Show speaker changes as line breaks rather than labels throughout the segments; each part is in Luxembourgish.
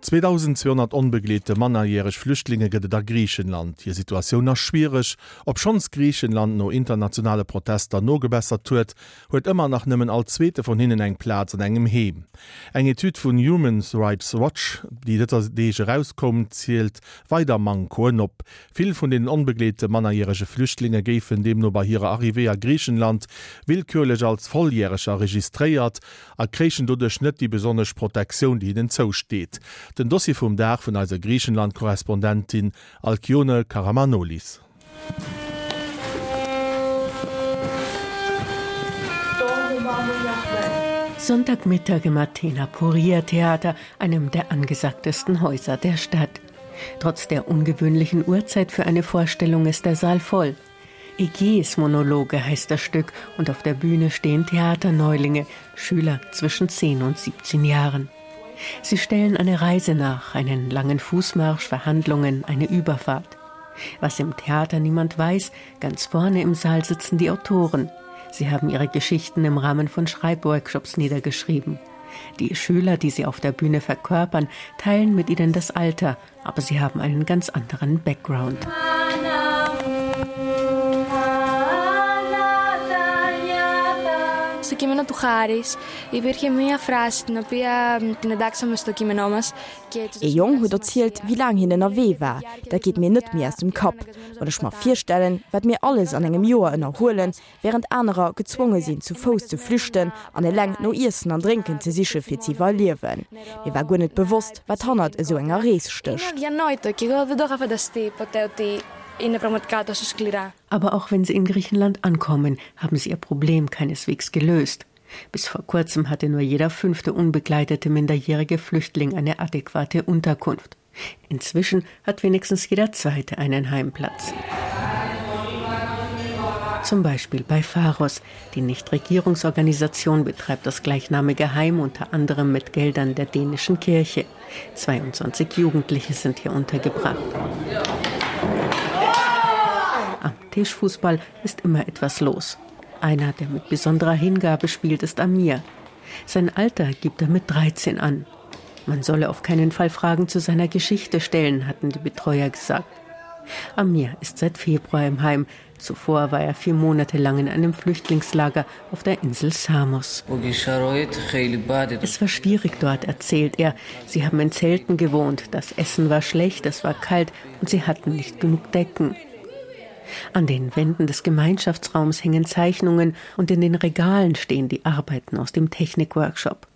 2.200 onbegleete mannerjäreg Flüchtlinge gëtt et a Griichenland. Hir Situatioun ass schwiereg. Obschonns Griichenland no internationale Protester nogebessert huet, huet ëmmer nach nëmmen all zweete vun hinnen eng Plaz an engem Heem. Eng Etüd vun Human Rights Watch, déi dëser Deeg erauskoum, zielt weider Mankoen op. Vill vun den onbegleete mannerjärege Flüchtlinge géifen deemno bei hirer Arrivée a Griichenland willkürlech als Volljäreger registréiert a kréichen doduerch net déi besonnesch Protektioun, déi hinnen zousteet. Den Dossier vum Dag vun eiser Griichenland-Korrespondentin Alkyone Karamanolis.
Sonntagmittag im Athener Poria Theater, einem der angesagtesten Häuser der Stadt. Trotz der ungewöhnlichen Uhrzeit für eine Vorstellung ist der Saal voll. Ägäis Monologe heißt das Stück und auf der Bühne stehen Theaterneulinge, Schüler zwischen 10 und 17 Jahren. Sie stellen eine Reise nach, einen langen Fußmarsch, Verhandlungen, eine Überfahrt. Was im Theater niemand weiß, ganz vorne im Saal sitzen die Autoren. Sie haben ihre Geschichten im Rahmen von Schreibworkshops niedergeschrieben. Die Schüler, die sie auf der Bühne verkörpern, teilen mit ihnen das Alter, aber sie haben einen ganz anderen Background.
Στο κείμενο του Χάρης υπήρχε μία φράση την οποία την εντάξαμε στο κείμενό μας
Ee Jong huet erzielt, wéi laang hien ënnerwee war. Dat geet mir net méi aus dem Kapp, wann ech mer virstellen, wat mir alles an engem Joer ënnerhuelen, wärend anerer gezwonge sinn, zu Fouss ze flüchten an eleng no Iessen an Drénken ze siche fir z'iwwerliewen. Mir war guer net bewosst, wat hannert esou enger Rees stécht.
Aber auch wenn sie in Griechenland ankommen, haben sie ihr Problem keineswegs gelöst. Bis vor kurzem hatte nur jeder fünfte unbegleitete minderjährige Flüchtling eine adäquate Unterkunft. Inzwischen hat wenigstens jeder zweite einen Heimplatz. Zum Beispiel bei Pharos. Die Nichtregierungsorganisation betreibt das gleichnamige Heim unter anderem mit Geldern der dänischen Kirche. 22 Jugendliche sind hier untergebracht. Am Tischfußball ist immer etwas los. Einer, der mit besonderer Hingabe spielt, ist Amir. Sein Alter gibt er mit 13 an. Man solle auf keinen Fall Fragen zu seiner Geschichte stellen, hatten die Betreuer gesagt. Amir ist seit Februar im Heim. Zuvor war er vier Monate lang in einem Flüchtlingslager auf der Insel Samos. Es war schwierig dort, erzählt er. Sie haben in Zelten gewohnt, das Essen war schlecht, es war kalt und sie hatten nicht genug Decken. An den Wänden des Gemeinschaftsraums hängen Zeichnungen und in den Regalen stehen die Arbeiten aus dem Technikworkshop.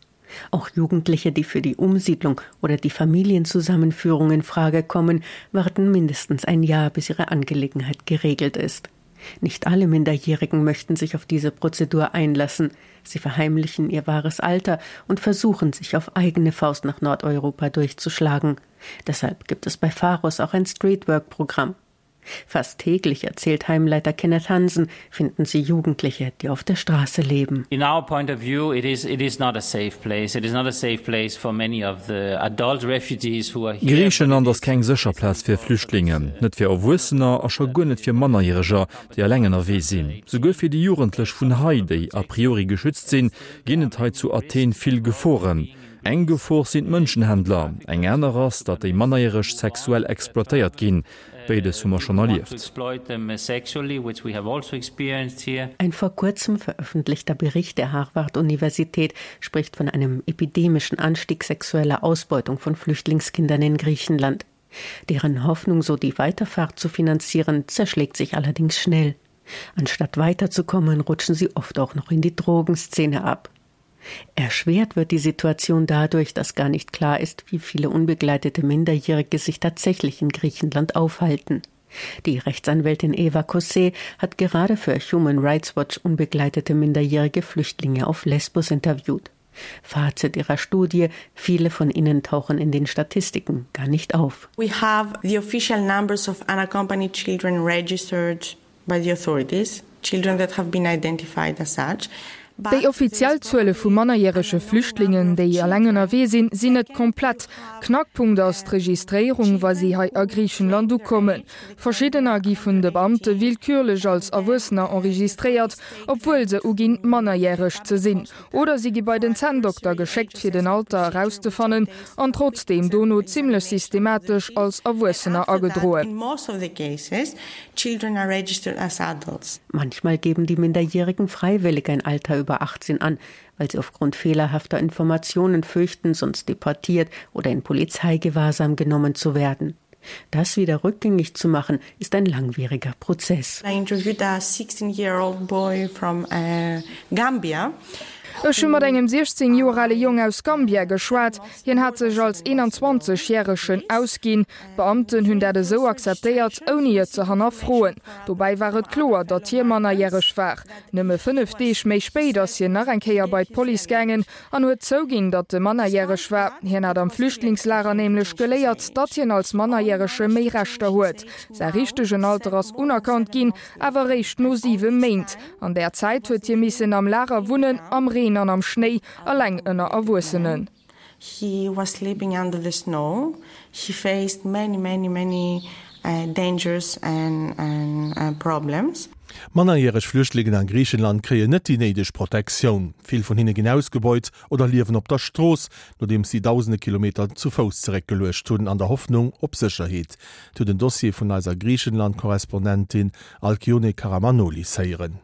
Auch Jugendliche, die für die Umsiedlung oder die Familienzusammenführung in Frage kommen, warten mindestens ein Jahr, bis ihre Angelegenheit geregelt ist. Nicht alle Minderjährigen möchten sich auf diese Prozedur einlassen. Sie verheimlichen ihr wahres Alter und versuchen, sich auf eigene Faust nach Nordeuropa durchzuschlagen. Deshalb gibt es bei Pharos auch ein Streetwork-Programm. Fast täglich erzählt Heimleiter Kenneth Hansen, finden sie Jugendliche, die auf der Straße leben.
In our point of view, it is, it is not a safe place. It is not a safe place for many of the adult refugees who are here.
Griichenland ass keng sécher Plaz fir Flüchtlingen, net fir Erwuessener a scho guer net fir Mannerjäreger, déi eleng ënnerwee sinn. Souguer fir déi Jugendlech vun hei, déi a priori geschützt sinn, ginn et hei zu Athen vill Geforen. Eng Gefor sinn d'Mënschenhändler, eng aner ass, datt déi Mannerjäreg sexuell exploitéiert ginn. Beides hu mer schonn erlieft.
Ein vor kurzem veröffentlichter Bericht der Harvard-Universität spricht von einem epidemischen Anstieg sexueller Ausbeutung von Flüchtlingskindern in Griechenland. Deren Hoffnung, so die Weiterfahrt zu finanzieren, zerschlägt sich allerdings schnell. Anstatt weiterzukommen, rutschen sie oft auch noch in die Drogenszene ab. Erschwert wird die Situation dadurch, dass gar nicht klar ist, wie viele unbegleitete Minderjährige sich tatsächlich in Griechenland aufhalten. Die Rechtsanwältin Eva Cossé hat gerade für Human Rights Watch unbegleitete minderjährige Flüchtlinge auf Lesbos interviewt. Fazit ihrer Studie: Viele von ihnen tauchen in den Statistiken gar nicht auf.
We have the official numbers of unaccompanied children registered by the authorities, children that have been identified as such.
Déi offiziell Zuele vu mannerjärege Flüchtlingen, déi eleng ënnerwee sinn, sinn net komplett. Knackpunkt ass d'Registréierung, wa si hei a Griichenland ukommen. Verschiddener gi vun de Beamte willkürlech als Erwuessener enregistréiert, obwuel se uginn, mannerjäreg ze sinn. Oder si gi bei den Zänndokter geschéckt, fir den Alter erauszefannen, an trotzdeem dono zimmlech systematesch als Erwuessener agedroen.
Children are registered as adults.
Manchmal geben die Minderjährigen freiwillig ein Alter über 18 an, weil sie aufgrund fehlerhafter Informationen fürchten, sonst deportiert oder in Polizeigewahrsam genommen zu werden. Das wieder rückgängig zu machen, ist ein langwieriger Prozess.
I interviewed a 16-year-old boy from uh, Gambia.
Ech hu mat engem 16 Joer ale Jong aus Gambia geschwat. Hien hat sech als 21 järegen ausginn. D'Beamten hunn dat esou akzeptéiert, ouni et ze hannerfroen. Dobäi war et kloer, datt hie mannerjäreg war. Nëmme 5 Deeg méi spéit ass hien nach eng Kéier bei d'Police gaangen an huet zouginn, datt e mannerjäreg war. Hien hat am Flüchtlingslager nämlech geléiert, datt hien als Mannerjärege méi Rechter huet. Säi richtegen Alter ass unerkannt ginn, awer eréischt no 7 Méint. An där Zäit huet hie missen am Lager wunnen, am Reen an am Schnéi, eleng ënner Erwuessenen.
He was sleeping under the snow. He faced many, many, many dangers and, and problems.
Mannerjäreg Flüchtlingen a Griichenland kréien net déi néideg Protektioun. Vill vun hinne ginn ausgebeut oder liewen op der Strooss, nodeems si dausende Kilometer zu Fouss zeréckgeluecht hunn, an der Hoffnung op Sécherheet. Zu den Dossier vun eiser Griichenland-Korrespondentin Alkyone Karamanoli héieren.